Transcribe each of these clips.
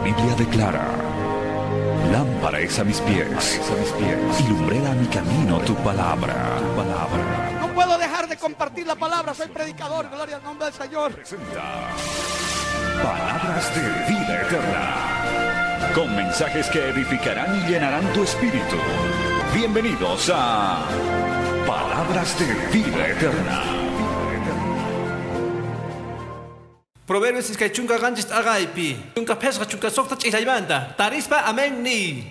Biblia declara: lámpara es a mis pies, y lumbrera a mi camino tu palabra. Tu palabra. No puedo dejar de compartir la palabra, soy predicador, gloria al nombre del Señor. Presenta Palabras de Vida Eterna, con mensajes que edificarán y llenarán tu espíritu. Bienvenidos a Palabras de Vida Eterna. Proverbios iskay chunka qanchis t'aqaypi, chunka phesqa chunka suqta ch'illaymanta, tarispa amén ni.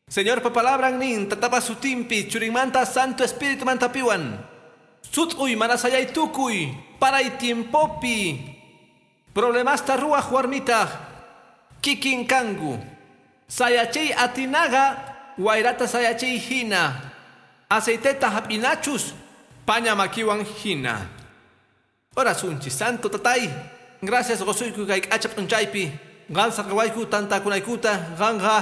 Señorpa palabran nin, tatapa sutinpi, churinmanta Santo Espíritu mantapiwan. Sut'uy mana sayay tukuy, paray tiempopi. Problemasta ruwaq warmitaq, kikin kanku. Sayachiy atinaqa, wayrata sayachiy hina. Aceiteta hap'inachus, paña makiwan hina. Orasunchis, Santo Tatay, gracias qosuyku kay k'acha p'unchaypi, qan saqawayku tantakunaykuta, qanqa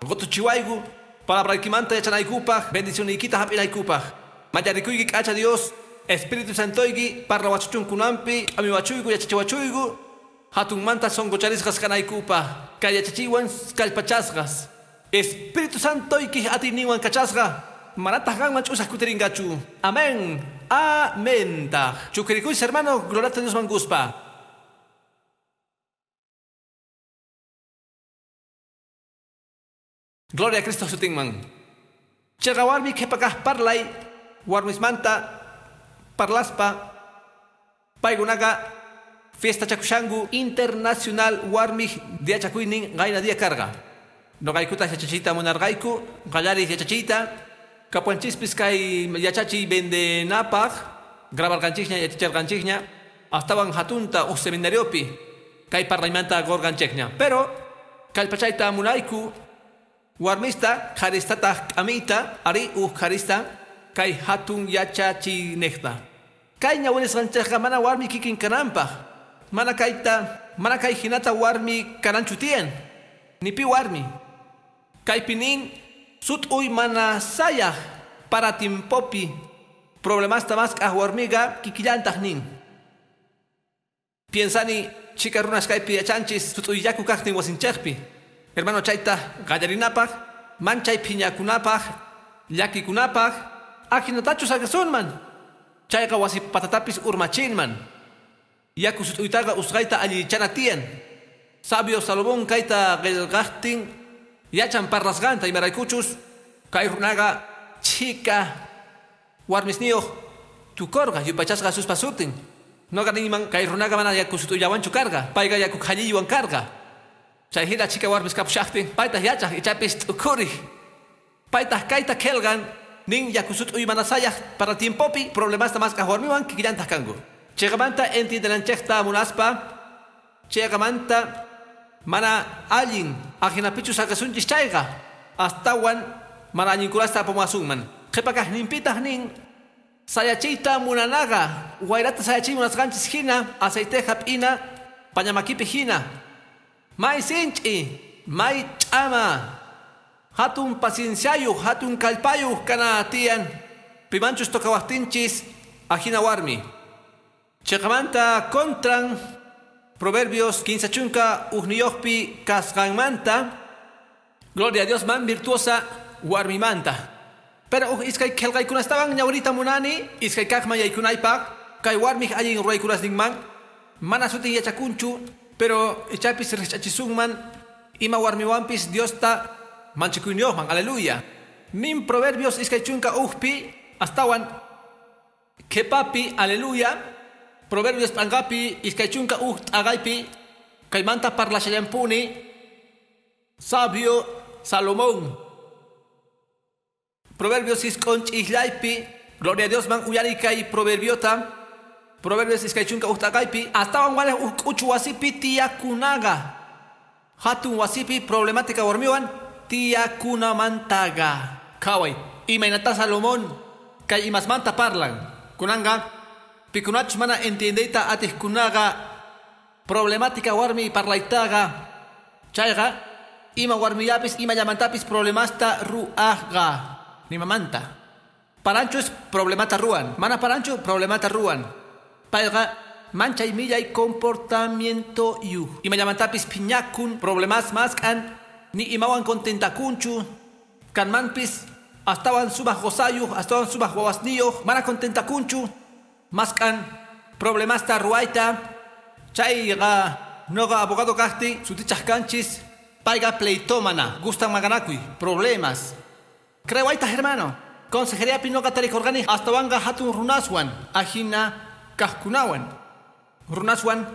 qutuchiwayku, palabraykimanta yachanaykupaq, bendicioniykita hap'inaykupaq. Mayarikuyki k'acha Dios, Espíritu Santoyki parlawachuchunkunampi, q'amiwachuyku yachachiwachuyku, hatunmanta sonqocharisqas kanaykupaq, kay yachachiwan kallpachasqas. Espíritu Santoyki atiyninwan kachasqa, manataq qanman ch'usaq kutirinqachu. Amén. Amén. Chukrikuychis hermano, gloria a Dios manguspa. Gloria a Cristo sutinman. Chaqa warmi qhipakaq parlay, warmismanta parlaspa, paykunaqa fiesta chakushanku internacional warmi diachakuynin qayna día karqa. Noqaykuta yachachiyta munarqayku, qallariq yachachiyta, kapuanchispis kay yachachiy vendenapaq, grabarqanchikña, yachacharqanchikña, astawan hatunta uj seminariopi kay parlaymanta qurqanchikña. Pero kallpachayta munayku warmista qharistataq k'amiyta, ari uj qharista kay hatun yachachiyniqta. Kay ñawirisqanchikqa mana warmi kikin kananpaq, mana kayta, mana kay hinata warmi kananchu tiyan, ni pi warmi. Kaypi nin sut'uy mana sayaq para tiempopi problemasta mask'aq warmiqa kikillantaq nin. Piensani chika runas kaypi yachanchis sut'uy yaku kaqtin wasinchikpi. Hermano, chayta qallarinapaq, manchay phiñakunapaq, llakikunapaq, ajinatachu saqasunman. Chayqa wasi patatapis urmachinman. Yaku sut'uytaqa usqayta allichana tiyan. Sabio Salomón kayta qillqaqtin yachan parlasqanta imaraykuchus kay runaqa chika warmisniyuq tukurqa yupachasqa Jesuspa sutin. Noqa ninman kay runaqa mana yaku sut'uyllawanchu karqa, payqa yaku qhalliywan karqa. Chay hina chika warmis kapushaqtin paytaq yachaq ichapis t'ukuriq. Paytaq kayta qillqan nin yaku sut'uy mana sayaq para tiempopi problemasta mask'aq warmiwan kikillantaq kanku. Chayqamanta entiendenanchikta munaspa, chayqamanta mana allin ajinapichu saqasunchis chayqa, astawan mana allinkunasta apamuwasunman. Qhipakaq ninpitaq nin sayachiyta munanaqa, wayrata sayachiy munasqanchis hina, aceite hap'ina, pañamakipi hina. May sinch'i, may ch'ama, hatun pacienciayuq, hatun kallpayuq kana tiyan, pimanchus tocawaqtinchis ajina warmi. Chayqamanta contran Proverbios 15 chunka ujniyuqpi kasqanmanta, gloria a Dios man virtuosa warmimanta. Pero uj iskay qillqaykunastawan ñawrita munani, iskay kaqman yaykunaypaq, kay warmiq allin ruwaykunasninman, mana sutin yachakunchu, pero ichapis rich'achisunman ima warmiwanpis Diosta manchikuyniyuqman, aleluya. Nin Proverbios iskay chunka ujpi astawan qhipapi, aleluya. Proverbios p'anqapi iskay chunka uj t'aqaypi kaymanta parlashallampuni sabio Salomón. Proverbios isq'un ch'ijllaypi, gloria a Dios man uyari kay proverbiota. Proverbios iskay chunka uj t'aqaypi astawan walej uj k'uchu wasipi tiyakunaqa, hatun wasipi problemática warmiwan tiyakunamantaqa. Qhaway imaynata Salomón kay imasmanta parlan. Kunanqa pikunachus mana entiendeyta atiqkunaqa problemática warmi parlaytaqa, chayqa ima warmillapis ima llamantapis problemasta ru'aqqa nimamanta. Paranchu es problemata ruwan, mana paranchu problemata ruwan. Payqa manchay millay comportamiento yu. Imallamantapis phiñakun, problemas maskan, ni imawan contentakunchu, kanmanpis astawan sumaq qusayuq, astawan sumaq wawasniyuq, mana contentakunchu, maskan problemasta ruwayta, chayqa noqa abogado kaqti sutichaq kanchis, payqa pleitómana, gustan maqanakuy, problemas. Creewaytaq hermano, consejeriapi noqa tarikurqani astawanqa hatun runaswan, ajina kaqkunawan. Runaswan,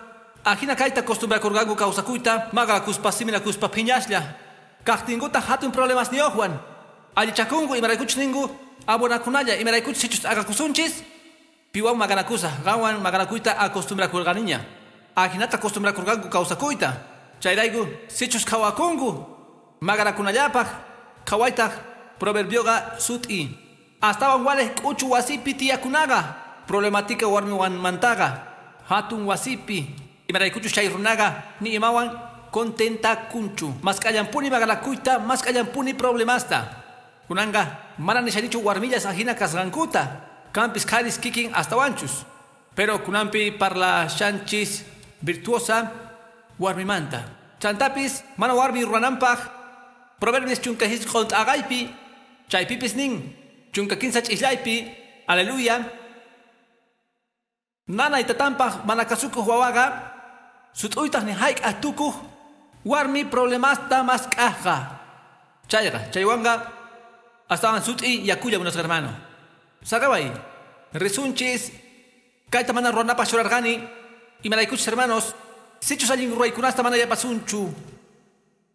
ajina kayta acostumbrakurqanku kawsakuyta, maqakuspa siminakuspa phiñaslla. Kaqtinkuta hatun problemas niyuqwan. Allichakunku imaraykuchus ninku, abonakunalla imaraykuchus sichus t'aqakusunchis, piwan maqanakusaq, qanwan maqanakuyta acostumbrakurqaniña. Ajinata acostumbrakurqanku kawsakuyta. Chayrayku sichus qhawakunku maqanakunallapaq, qhawaytaq proverbioqa sut'i. Astawan walej k'uchu wasipi tiyakunaqa, problemática warmiwanmantaqa, hatun wasipi, imaraykuchus chay runaqa ni imawan contentakunchu. Mask'allanpuni maqanakuyta, mask'allanpuni problemasta. Kunanqa mana nishanichu warmillas ajina kasqankuta, kanpis qharis kikin astawanchus. Pero kunanpi parlashanchis virtuosa warmimanta. Chantapis mana warmi rurananpaq, Proverbios 15 t'aqaypi, chaypipis nin, 13 ch'islaypi, aleluya. Nanay tatanpaq mana kasukuq wawaqa, sut'uytaq ni hayk'aq tukuq, warmi problemasta mask'aqqa. Chayqa, chaywanqa astawan sut'i yakulla munasqa hermano. Saqaway, risunchis, kayta mana ruranapaq churarqani, imaraykuchus hermanos, sichus allin ruwaykunasta mana yapasunchu.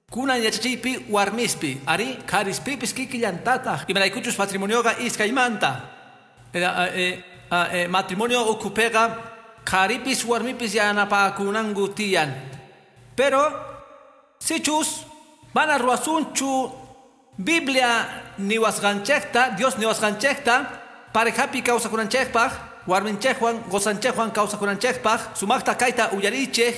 Kunan yachachiypi warmispi, ari qharispipis kikillantataq, imaraykuchus matrimonioqa iskaymanta. Matrimonio ukhupiqa qharipis warmipis yanapakunanku tiyan. Pero sichus mana ruwasunchu Biblia niwasqanchikta, Dios niwasqanchikta, parejapi kawsakunanchikpaq, warminchikwan qusanchikwan kawsakunanchikpaq, sumaqta kayta uyarichik,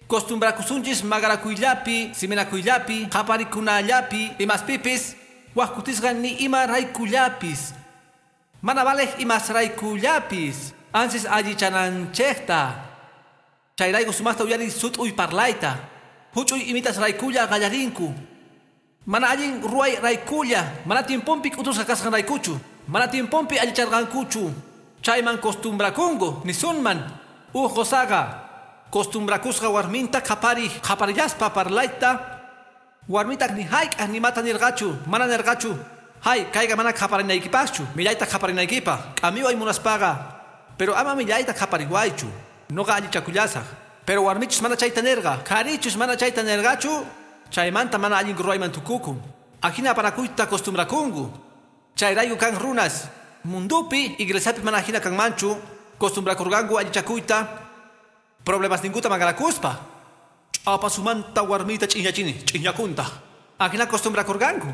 costumbrakusunchis maqanakuyllapi, siminakuyllapi, qhaparikunallapi, imaspipis, wak kutisqa ni ima raykullapis. Mana valej imasraykullapis, ansis allichananchikta. Chayrayku sumaqta uyari sut'uy parlayta, huch'uy imitas raykulla qallarinku. Mana allin ruway raykulla, mana tiemponpi k'utusqa kasqan raykuchu, mana tiemponpi allicharqankuchu. Chayman costumbrakunku, nisunman, uj qusaqa costumbrakusqa warminta qhapariq, qhaparillaspa parlayta, warmitaq ni hayk'aq nimata nirqachu, mana nirqachu. Hay, kayqa mana qhaparinaykipaqchu, millayta qhaparinaykipaq, k'amiway munaspaqa, pero ama millayta qhapariwaychu, noqa allichakullasaq. Pero warmichus mana chayta nirqa, qharichus mana chayta nirqachu, chaymanta mana allin ruwayman tukukun. Ajina apanakuyta costumbrakunku. Chayrayku kan runas, mundupi, iglesiapi mana ajina kanmanchu, costumbrakurqanku allichakuyta, problemas ninkuta maqanakuspa. Ch'apasumanta warmita ch'iñachini, ch'iñakunta. Ajina costumbrakurqanku.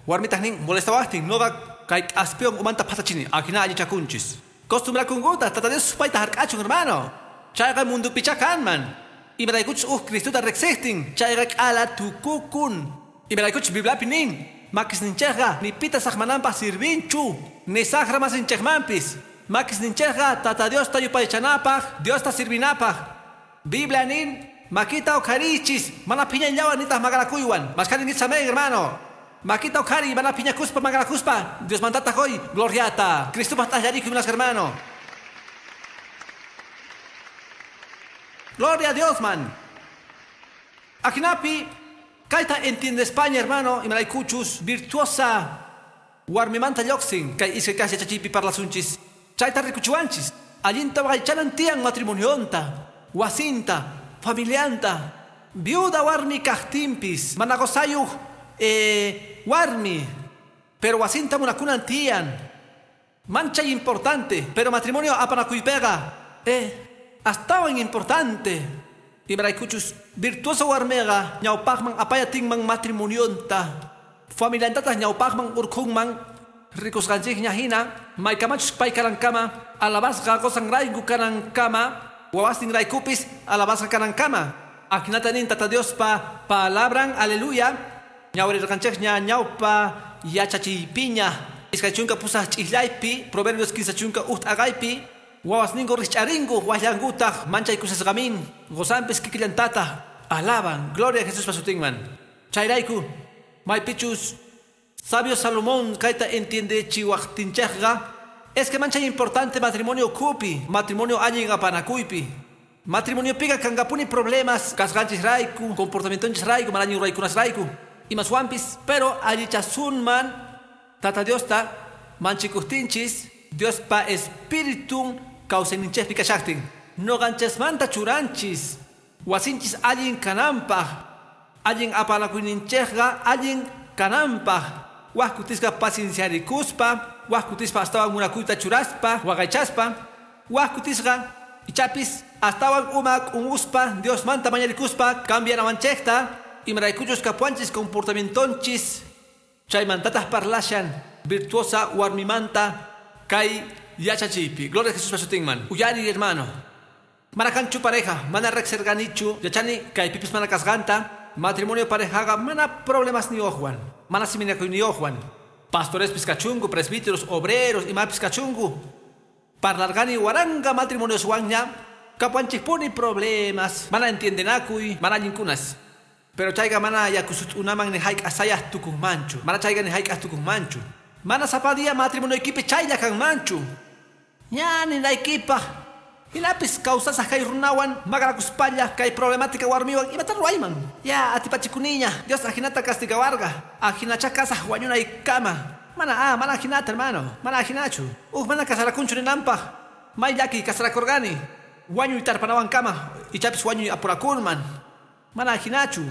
Warmitaq nin molestawaqtin, noqa kay k'aspiwan umanta phatachini, ajina allichakunchis. Costumbrakunkuta, Tata Dios supayta hark'achun hermano. Chayqa mundupichá kanman. Imaraykuchus uj Cristuta riqsiqtin, chayqa k'ala tukukun. Imaraykuchus Bibliapi nin, makisninchikqa ni pita saqmananpaq sirvinchu, ni saqra masinchikmanpis. Makisninchikqa Tata Diosta yupaychanapaq, Diosta sirvinapaq. Biblia nin, makita uqharichis, mana phiñayllawan nitaq maqanakuywan. Mashkhani nitsamén hermano. Makita uqhari, mana phiñakuspa maqanakuspa, Diosmantataq hoy gloriata. Cristupaq t'aqllarikuy munasqa hermano. Gloria a Dios, man. Ajinapi, kayta entiende España, hermano, imaraykuchus virtuosa warmimanta lluqsin, kay iskay kaq yachachiypi parlasunchis. Chayta rikuchiwanchis, allinta waqaychanan tiyan matrimonionta, wasinta, familianta, viuda warmi kaqtinpis, mana qusayuq warmi, pero wasinta munakunan tiyan. Manchay importante, pero matrimonio apanakuypiqa, astawan importante. Imaraykuchus virtuoso warmiqa ñawpaqman apayatinman matrimonionta, familiantataq ñawpaqman urqhunman, rikusqanchikña hina, maykamachus pay kanankama, alabasqa qusanrayku kanankama, wawasninraykupis alabasqa kanankama. Ajinata nin Tata Diospa palabran, aleluya. Ñawrirqanchikña ñawpa yachachiypiña, 28 ch'islaypi, Proverbios 15 t'aqaypi. Wawasningu rich'aringu waqllankutaq manchay kusisqamin qosanpis kikillantata alaban gloria a Jesús pasutinman. Chayrayku maypichus sabio Salomón kayta entiende chiwaqtinchaqqa es que manchay importante matrimonio kupi, matrimonio allin apanakuypi. Matrimonio piga kangapuni problemas kasqanchis rayku, comportamientonchis rayku, mana allin ruraykunas rayku. Imaswanpis, pero allichasunman Tata Diosta manchikuqtinchis Diospa espiritun kawsayninchikpi kashaqtin. Noqanchasmanta churanchis wasinchis allin kananpaq, allin apanakuyninchikqa allin kananpaq. Waq kutisqa pacienciarikuspa, waq kutispa astawan munakuyta churaspa, waqaychaspa, waq kutisqa ichapis astawan uma k'umuspa Diosmanta mañarikuspa cambianawanchikta imaraykuchus kapuanchis comportamientonchis chaymantataq parlashan virtuosa warmimanta kay yachachiypi. Gloria a Jesús pasutinman. Uyari hermano. Mana kanchu pareja, mana rexerganichu, yachani kaypipis mana kasqanta, matrimonio parejaqa mana problemas ni ojwan, mana siminakuy ni ojwan. Pastores kachungu, presbíteros, obreros, imapis kachungu. Parlargani waranga matrimonios wanña, kapuanchikpuni problemas, mana entiendenakuy, mana allinkunas. Pero chayqa mana yakusut unaman ni hayk'asayaq tukunmanchu, mana chayqa ni hayk'aq tukunmanchu. Mana sapa día matrimonio equipe chaylla kanmanchu. Ña ninaykipaq. Hinapis kawsasaq kay runawan maqanakuspalla kay problemática warmiwan imata ruwayman. Ya atipachikuniña Dios ajinata castigawarqa. Ajinacha kasaq wañunaykama. Mana mana ajinata hermano, mana ajinachu. Uj mana kasarakunchu ninanpaq. May llaki kasarakurqani. Wañuy tarpanawankama ichapis wañuy apurakunman. Mana ajinachu.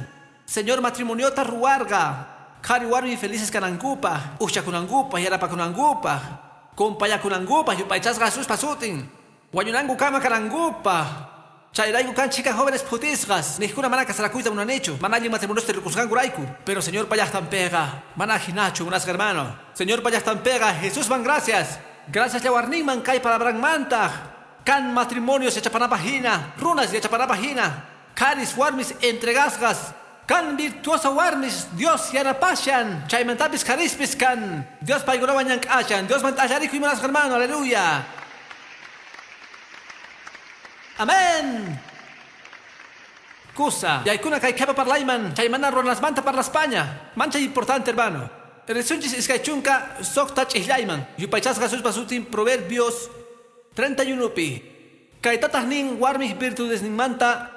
Señor matrimoniota ruwarqa. Qhari warmi felices kanankupaq, uqchakunankupa, yanapakunankupaq, kumpayakunankupaq, yupaychasqa Jesuspa sutin. Wañunanku kama kanankupaq. Chayrayku kan chicas jóvenes phutisqas, niqkuna mana kasarakuyta munanichu, mana allin matrimoniosta rikusqankurayku. Pero Señor pallaqtanpiqa, mana ajinachu, munasqa hermano. Señor pallaqtanpiqa, Jesusman gracias. Gracias llawarninman kay palabranmantaq. Kan matrimonios yachapanapaq hina, runas yachapanapaq hina, qharis warmis entregasqas. Kan virtuosa warmis Dios yanapashan, chaymantapis qharispis kan Dios paykunawan llank'ashan, Diosman t'allarikuy munasqa hermano, aleluya. Amén. Kusa, yaykuna kay qhipa parlayman, chaymana runasmanta parlaspaña. Manchay importante hermano. Risunchis iskay chunka suqta ch'ijllayman. Yupaychasqa Jesuspa sutin Proverbios 31pi. Kaytataq nin warmij virtudesninmanta,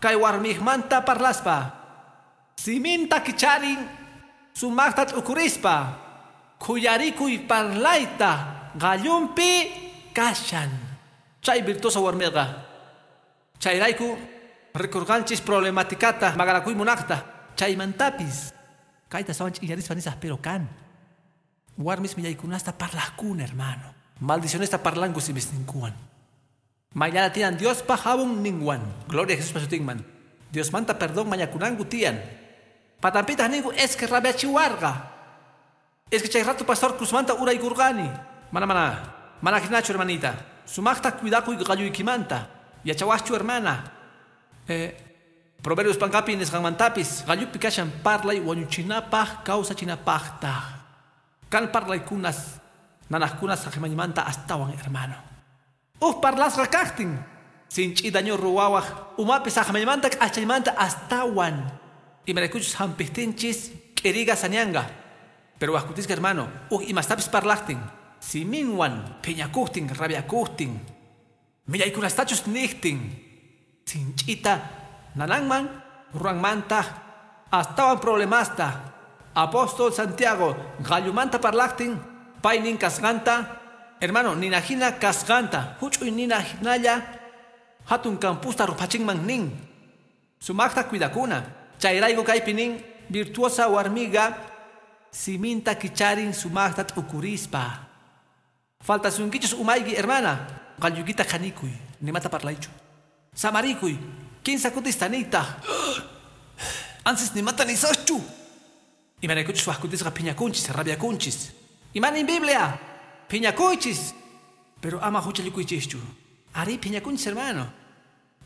kay warmijmanta parlaspa. Siminta kicharin sumaqta t'ukurispa, khuyarikuy parlayta qallunpi kashan. Chay virtuosa warmiqa. Chayrayku rikurqanchis problematicata maqanakuy munaqta. Chaymantapis kayta sawan ch'illarispa nisaq pero kan warmis millaykunasta parlaqkuna hermano. Maldicionesta parlanku simisninkuwan. Mayllara tiyan Diospa jabon ninwan. Gloria a Jesús pasutinman. Diosmanta perdón mañakunanku tiyan. Patampitaq ninku es que rabiachiwarqa. Es que chay rato pastor cruzmanta uraykurqani. Mana mana. Mana jinachu hermanita. Sumaqta cuidakuy qalluykimanta. Yachawaqchu hermana. Proverbios pankapi nisqanmantapis qallupi kashan parlay wañuchinapaq kawsachinapaqtaq. Kan parlaykunas nanaqkunas saqimanta astawan hermano. Uj parlasqa kaqtin sinch'i daño ruwawaq umapi saqmaymanta k'achaymanta astawan. Imaraykuchus hampijtinchis k'iriqa sañanqa. Pero waqkutisqa hermano, uj imastapis parlaqtin, siminwan phiñakuqtin, rabiakuqtin, millaykunastachus niqtin, sinch'ita nananman ruranmantaq astawan problemasta. Apóstol Santiago qallumanta parlaqtin, paynin kasqanta, hermano, ninajina kasqanta, huch'uy nina hinalla hatun campusta ruphachinman nin. Sumaqta cuidakuna. Chayrayku kaypi nin virtuosa warmiqa siminta kicharin sumaqta t'ukurispa. Faltasunkichus umayki hermana, qalluykita qhanikuy, nimata parlaychu. Samarikuy, kinsa kutista niytaq. Ansis nimata nisaqchu. Imaraykuchus waq kutisqa phiñakunchis, rabiakunchis. Imanin Biblia, phiñakuychis. Pero ama huchallikuychischu. Ari phiñakunchis hermano.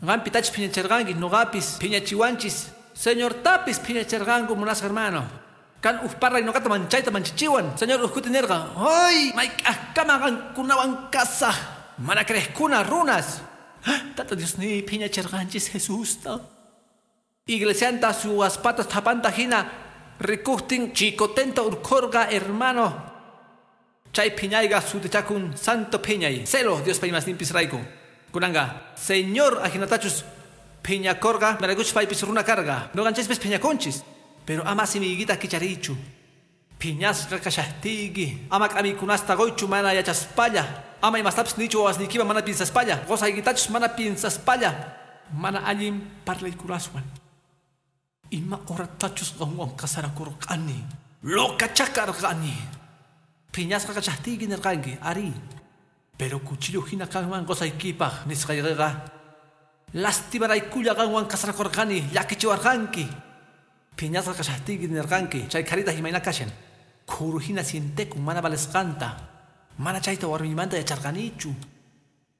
Qanpi tachis phiñacharqanki, nuqapis phiñachiwanchis. Señor tapis phiñacharqanku munasqa hermano. Kan uj parlay nuqata manchayta manchichiwan. Señor uj kuti nirqa, ay mayk'aqkama qankunawan kasaq. Mana creejkuna runas. Tata Diosni phiñacherqanchis Jesusta. Iglesianta suwaspatas thapanta hina rikuqtin chicotenta urkhorqa hermano. Chay phiñayqa sutichakun santo phiñay. Celo Diospa imasninpis rayku. Kunanqa Señor ajinatachus phiñakorqa imaraykuchus paypis runa karqa. Noqanchispis phiñakunchis. Pero ama simiykita kicharichu. Phiñasqa kashaqtiyki. Ama k'amikunasta qoychu mana yachaspalla. Ama imastapis nichu wawasniykiman mana piensaspalla. Qosaykitachus mana piensaspalla. Mana allin parlaykunaswan. Ima horatachus qanwan casarakurqani. Locacha karqani. Phiñasqa kashaqtiyki nirqanki, ari. Pero cuchillo hina qanwan qosaykipaq nisqayqiqa. Lastimaraykulla qanwan casarakurqani, llakichiwarqanki. Phiñasqa kashaqtiyki nirqanki, chay qharitaq imayna kashan. Khuru hina sientekun mana valesqanta. Mana chayta warmiymanta yacharqanichu.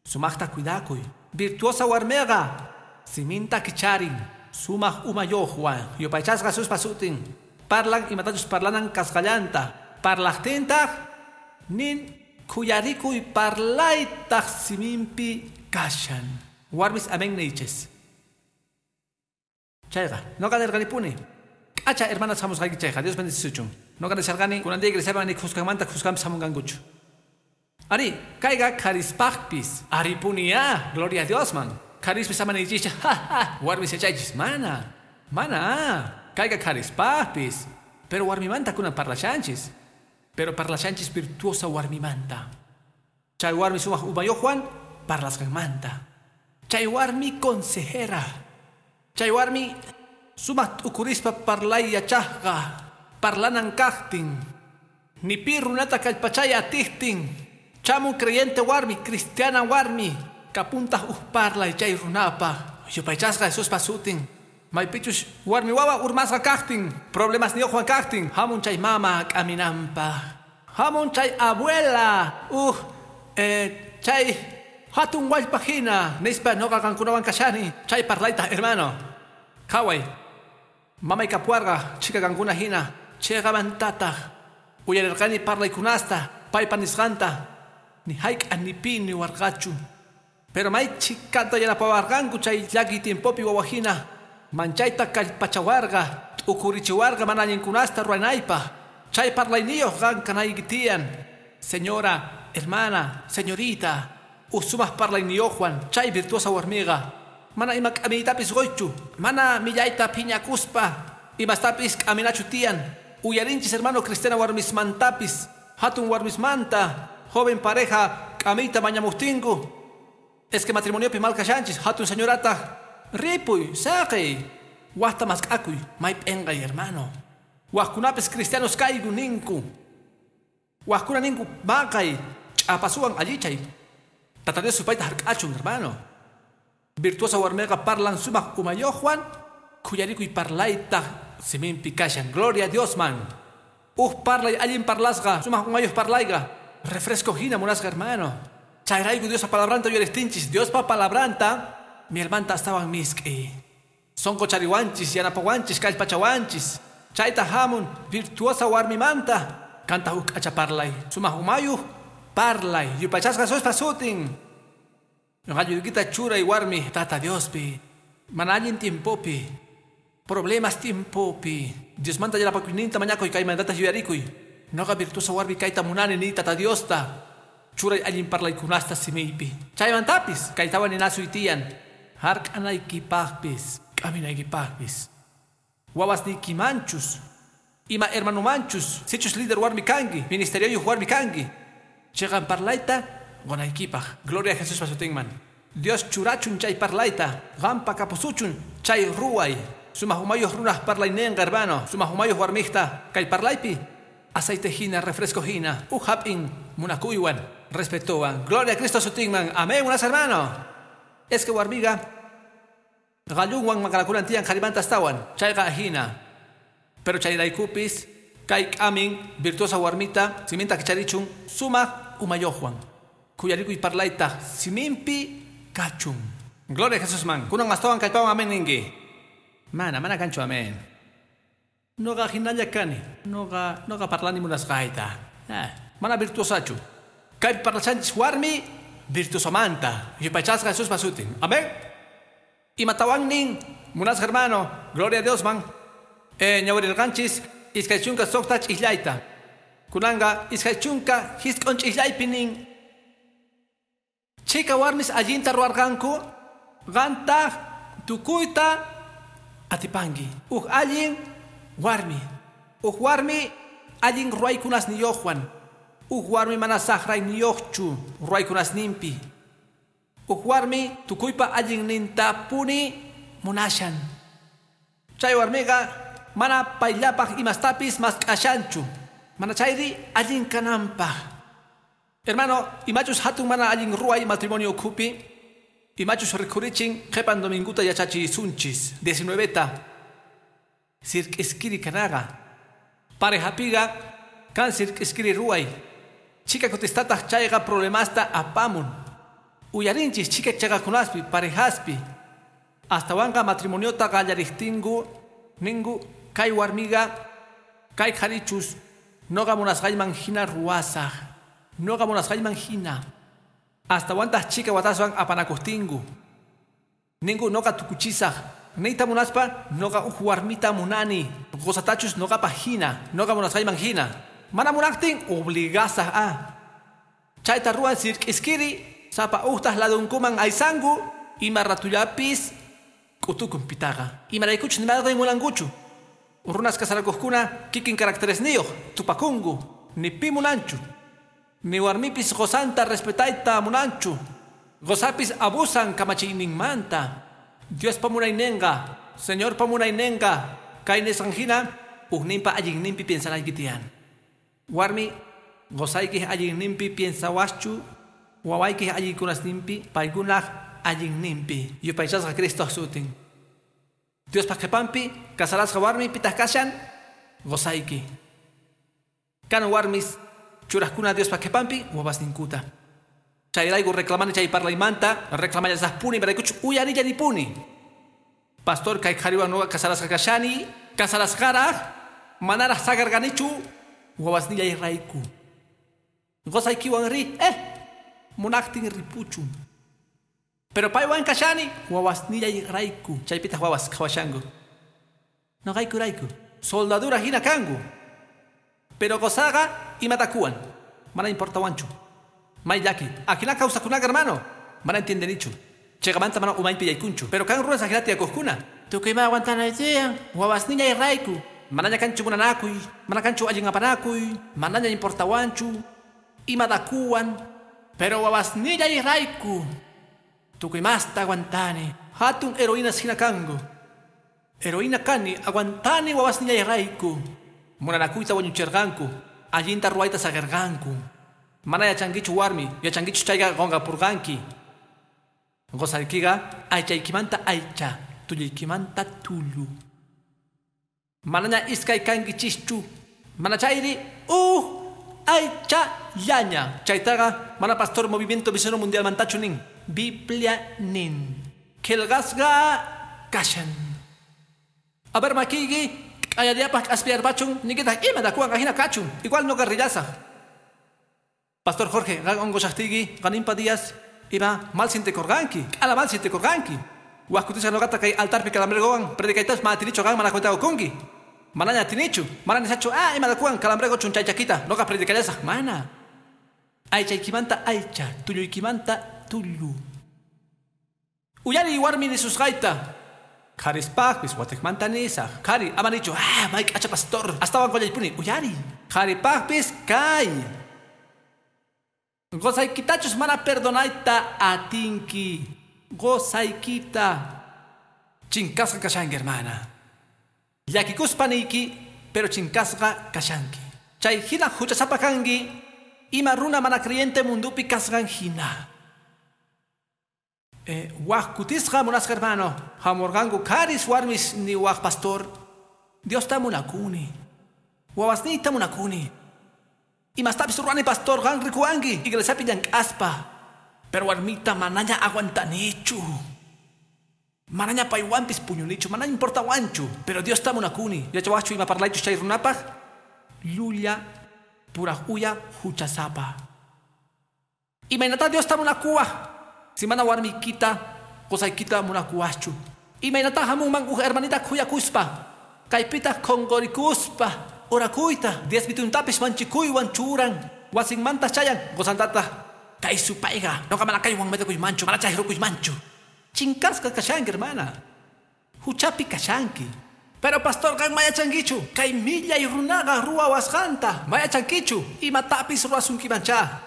Sumaqta cuidakuy. Virtuosa warmiqa siminta kicharin. Sumaq umayuqwan. Yupaychasqa Jesuspa sutin. Parlan imatachus parlanan kasqallanta. Parlaqtintaq nin khuyarikuy parlaytaq siminpi kashan. Warmis amén niychis. Chayqa, noqa nirqanipuni. K'acha hermanas hamusqayki chayqa, Dios bendecisuchun. Noqa nisharqani kunan día iglesiaman ni khuskanmanta khuskanpis hamunqankuchu. Ari, kayqa qharispaqpis. Aripuniya, gloria a Dios man. Qharispis ama niychischa, ja ja, warmis yachaychis, mana. Mana, kayqa qharispaqpis. Pero warmimanta kunan parlashanchis. Pero parlashanchis virtuosa warmimanta. Chay warmi sumaq umayuqwan parlasqanmanta. Chay warmi consejera. Chay warmi sumaq t'ukurispa parlay yachaqqa. Parlanan kaqtin. Ni pi runata kallpachay atiqtin. Chamu creyente warmi, cristiana warmi. Kapuntaq uj parlay chay runapa. Yupaychasqa Jesuspa sutin. Maypichus warmi wawa urmasqa kaqtin. Problemas niyuqwan kaqtin. Hamun chay mama k'aminanpaq. Hamun chay abuela. Chay hatun wallpa hina. Nispa noqa qankunawan kashani. Chay parlayta hermano. Qhaway. Mamay kapuarqa chhika qankuna hina. Chayqamantataq uyarirqani parlaykunasta paypa nisqanta. Ni hayk'a ni pi niwarqachu. Pero may chhikata yanapawarqanku chay llakiy tiempopi wawa hina. Manchayta kallpachawarqa, t'ukurichiwarqa mana allinkunasta ruwanaypaq. Chay parlayniyuq qan kanayki tiyan. Señora, hermana, señorita, uj sumaq parlayniyuqwan chay virtuosa warmiqa. Mana ima k'amiytapis qoychu, mana millayta phiñakuspa, imastapis k'aminachu tiyan. Uyarinchis hermano cristiana warmismantapis, hatun warmismanta, joven pareja k'amiyta mañamuqtinku. Es que matrimoniopi mal kashanchis, hatun señorataq ripuy, saqiy, waqta mask'akuy, may p'enqay hermano. Waqkunapis cristianos kayku ninku. Waqkuna ninku maqay, ch'apasuwan allichay. Tata Dios supayta hark'achun hermano. Virtuosa warmiqa parlan sumaq umayuqwan, khuyarikuy parlaytaq siminpi kashan. Gloria a Dios man. Uj parlay allin parlasqa, sumaq umayuq parlayqa. Refresco hina munasqa hermano. Chayrayku Diospa palabranta uyariqtinchis, Diospa palabranta mielmanta astawan misk'i. Sonqochariwanchis, yanapawanchis, kallpachawanchis. Chayta hamun virtuosa warmimanta. Kanta uj k'acha parlay, sumaq umayuq parlay. Yupaychasqa Jesuspa sutin. Qalluykita churay warmi Tata Diospi. Mana allin tiempopi. Problemas tiempopi. Diosmanta yanapakuyninta mañakuy kaymantataq yuyarikuy. Noqa virtuosa warmi kayta munani ni Tata Diosta. Churay allin parlaykunasta simiypi. Chaymantapis kaytawan ninasuy tiyan. Hark'anaykipaqpis, k'aminaykipaqpis. Wawasniykimanchus, ima hermanomanchus, sichus líder warmi kanki, ministerioyuq warmi kanki. Chiqan parlayta qonaykipaq. Gloria a Jesuspa sutinman. Dios churachun chay parlayta, qampa kapusuchun chay ruway. Sumaq umayuq runaq parlayninqa hermano, sumaq umayuq warmiqta kay parlaypi aceite hina, refresco hina, uj hap'in munakuywan, respetuwan. Gloria a Cristo sutinman. Amén, unas hermano. Es que warmiqa qallunwan maqanakunan tiyan qharimanta astawan. Chayqa hina. Pero chayraykupis kay k'amin virtuosa warmita siminta kicharichun sumaq umayuqwan. Khuyarikuy parlaytaq siminpi kachun. Gloria a Jesús man. Kunan astawan kallpawan amén ninki. Mana, mana kanchu amén. Noqa hinalla kani. Noqa parlani munasqayta. Mana virtuosachu. Kay parlashanchis warmi Virtuosomanta. Yupaychasqa Jesuspa sutin. Amén. Imatawan nin, munasqa hermano, gloria a Dios man. Ñawirirqanchis 26 ch'islayta. Kunanga 29 ch'islaypi nin. Chika warmis allinta ruwarqanku, qantaq tukuyta atipanki. Uj allin warmi. Uj warmi allin ruwaykunasniyuqwan. Uj warmi mana saqrayniyuqchu ruwaykunasninpi. Uj warmi tukuypa allinnintapuni munashan. Chay warmiqa mana payllapaq imastapis mask'ashanchu. Mana chayri allin kananpaq. Hermano, imachus hatun mana allin ruway matrimonio ukhupi, imachus rikhurichin qhipan dominguta yachachisunchis 19ta. Sirk'iskiri kanaqa. Parejapiqa kan sirk'iskiri ruway. Chika kutistataq chayqa problemasta apamun. Uyarinchis chika chaqakunaspi parejaspi. Astawanqa matrimoniota qallariqtinku ninku kay warmiqa kay qharichus noqa munasqayman hina ruwasaq. Noqa munasqayman hina. Astawantaq chika wataswan apanakuqtinku. Ninku noqa tukuchisaq. Niyta munaspa noqa uj warmita munani. Qusatachus noqapaq hina. Noqa munasqayman hina. Mana munaqtin obligasaq a. Chayta ruwan sirk'iskiri sapa uqtaq ladunkuman aysanku ima ratullapis k'utukun pitaqa. Imaraykuchus nimayqin munankuchu. Runas kasarakuqkuna kikin caracteresniyuq tupakunku. Ni pi munanchu. Ni warmipis qusanta respetayta munanchu. Qusapis abusan kamachiyninmanta. Diospa munayninqa, Señorpa munayninqa, kay nisqan hina ujninpa allinninpi piensanayki tiyan. Warmi, qusaykiq allinninpi piensawaschu, wawaykiq allinkunasninpi, paykunaq allinninpi. Yupaychasqa Cristo sutin. Diospa qhipanpi kasarasqa warmi pitaq kashan, qusayki. Kan warmis churaqkuna Diospa qhipanpi wawasninkuta. Chayrayku reclamani chay parlaymanta, reclamallasaqpuni, imaraykuchus uyarillanipuni. Pastor kay qhariwan nuqa kasarasqa kashani, kasarasqaraq, manaraq saqarqanichu wawasnillayrayku. Qusaykiwan ri, munaqtin ripuchun. Pero paywan kashani wawasnillayrayku. Chaypitaq wawas qhawashanku. Noqaykurayku. Soldadura hina kanku. Pero qusaqa imatakuwan. Mana importawanchu. May llaki. Ajina kawsakunaqa hermano. Mana entiendenichu. Chayqamanta mana umaypi yaykunchu. Pero kan runas ajinata tiyakuqkuna. Tukuy ima aguantanay tiyan. Wawasnillayrayku. Manaña kanchu munanakuy. Mana kanchu allin apanakuy. Manaña importawanchu. Imatakuwan. Pero wawasnillayrayku. Tukuy masta aguantani. Hatun heroínas hina kanku. Heroína kani aguantani wawasnillayrayku. Munanakuyta wañuchirqanku. Allinta ruwayta saqirqanku. Mana yachankichu warmi, yachankichu chayqa qunqapurqanki. Qusaykiqa aychaykimanta aycha, tulluykimanta tullu. Manaña iskay kankichischu. Mana chayri uj aychallaña. Chaytaqa mana pastor movimiento misionero mundial mantachu nin. Biblia nin. Qillqasqa kashan. A ver makiyki k'ayallapaq k'aspiyarpachun ninkitaq imatakuwan ajina kachun. Igual noqa rillasaq. Pastor Jorge, qan unqushaqtiyki qaninpa días ima mal sintikurqanki, k'ala mal sintikurqanki. Waj kutisqa noqata kay altarpi calambregowan predicaytas mana atinichu qan mana cuentakukunki. Manaña atinichu, mana nisachu imatakuwan calambregochun chay chakita noqa predicallasaq. Mana. Aychaykimanta aycha, tulluykimanta tullu. Uyariy warmi nisusqayta. Qharispaqpis watiqmanta nisaq. Qhari ama nichu, may k'acha pastor, astawan qullaypuni. Uyariy. Qharipaqpis kay. Qusaykitachus mana perdonayta atinki. Qusaykita. Chinkasqa kashanki, hermana. Llakikuspa niyki, pero chinkasqa kashanki. Chay hina huchasapa kanki, ima runa mana creyente mundupi kasqan hina. Waj kutisqa munasqa hermano, hamurqanku qharis warmis ni waj pastor. Diosta munakuni. Wawasniyta munakuni. Imastapis ruwani pastor qan rikuwanki iglesiapi llank'aspa. Pero warmita manaña aguantanichu. Manaña paywanpis puñunichu, manaña importawanchu. Pero Diosta munakuni. Yachawaqchu ima parlaychus chay runapaq? Llulla puraq uya huchasapa. Imaynata Diosta munakuwaj. Si mana warmiykita, qosaykita munakuwajchu. Imaynata hamunman uj hermanita khuyakuspa. Kaypita qhonqorikuspa. Orakuyta, diezmituntapis manchikuywan churan. Wasinmanta chayan, qosantata. Kay supayqa, noqa mana kaywan metekuymanchu, mana chayrukuymanchu. Chinkasqa kashanki, hermana. Huchapi kashanki. Pero pastor, qan mayachankichu. Kay millay runaqa ruwawasqanta. Mayachankichu. Imatapis ruwasunkimancha.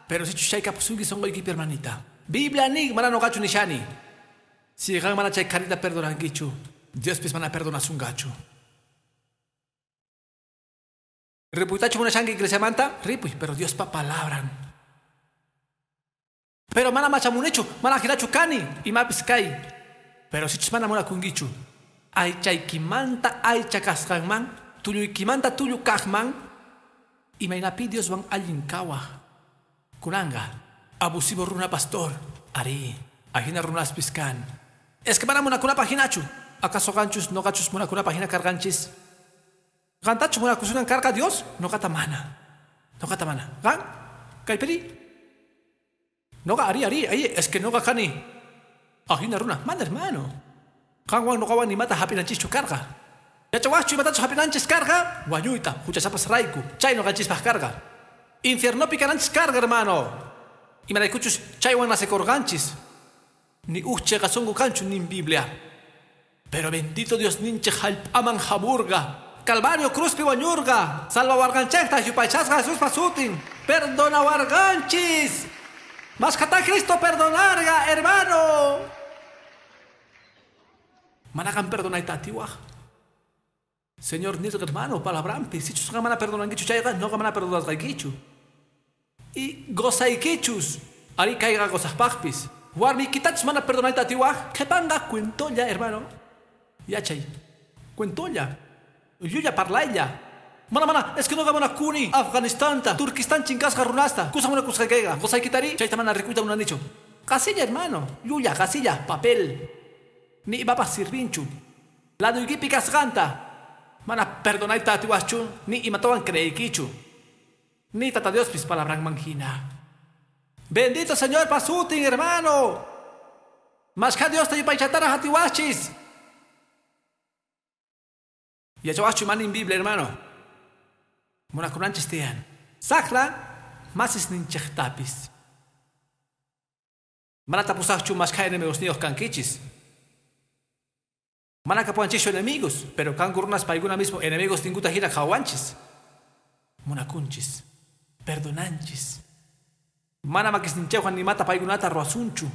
Pero sichus chay kapusunki sonqoykipi, hermanita. Biblia nin, mana noqachu nishani. Si qan mana chay qharita perdonankichu, Diospis mana perdonasunqachu. Ripuytachu munashanki iglesiamanta? Ripuy, pero Diospa palabran. Pero mana machamunichu, mana jinachu kani, imapis kay. Pero sichus mana munakunkichu, aychaykimanta aycha kasqanman, tulluykimanta tullu kaqman, imaynapi Dioswan allin kawaj. Kunanga, abusivo runa pastor, ari, ajina runaspis kan. Es que mana munakunapaj hinachu. ¿Acaso qanchus noqachus munakunapaj hina karqanchis? Qantachu munakusunan karqa Dios? Noqata mana. Noqata mana. Qan? Kaypiri? Noqa ari ari, ay, es que noqa kani. Ajina runa, mana hermano. Qanwan noqawan nimata hap'inanchischu karqa. Yachawaqchu imatachus hap'inanchis karqa? Wañuyta, huchasapas rayku. Chay noqanchispaq karqa. Infiernopi kananchis karqa, hermano. Imaraykuchus chaywan nacekorqanchis. Ni uj cheqa sunqu kanchu nin Biblia. Pero bendito Dios ninchik hallp'aman hamurqa. Calvario cruzpi wañurqa. Salvawarqanchikta yupaychasqa Jesuspa sutin. Perdonawarqanchis. Mashkhata Cristo perdonarqa, hermano. Mana qan perdonayta atiwaj. Señor nirqa, hermano, palabrampi. Sichus qan mana perdonankichu chayqa, noqa mana perdonasqaykichu. Y gozaykichus. Ari kayqa gozaqpaqpis. Warmiykitachus mana perdonayta atiwaj. Qhipanqa cuentolla, hermano. Yachay. Cuentolla. Llulla parlaylla. Mana mana, es que noqa munakuni Afganistanta, Turquistán chinkasqa runasta. Kusa munakusqaykayqa. Qosaykitari, chayta mana rikuyta munanichu. Qasilla, hermano. Llulla, qasilla, papel. Ni imapas sirvinchu. Laduykipi kasqanta. Mana perdonayta atiwajchu, ni imatawan creeykichu. Ni tata Diospis palabranman hina. Bendito Señor pasutin, hermano. Mashkha Diosta yupaychatara atiwajchis. Yachawajchu manin Biblia, hermano. Munakunanchis tiyan. Saqra masis ninchiqtapis. Mana tapusaqchu mashkha enemigosniyuq kankichis. Mana kapuwanchischu enemigos, pero kanku runas paykuna mismo enemigos ninkuta hina qhawanchis. Munakunchis. Perdonanchis. Mana makisninchikwan nimata paykunata ruwasunchu.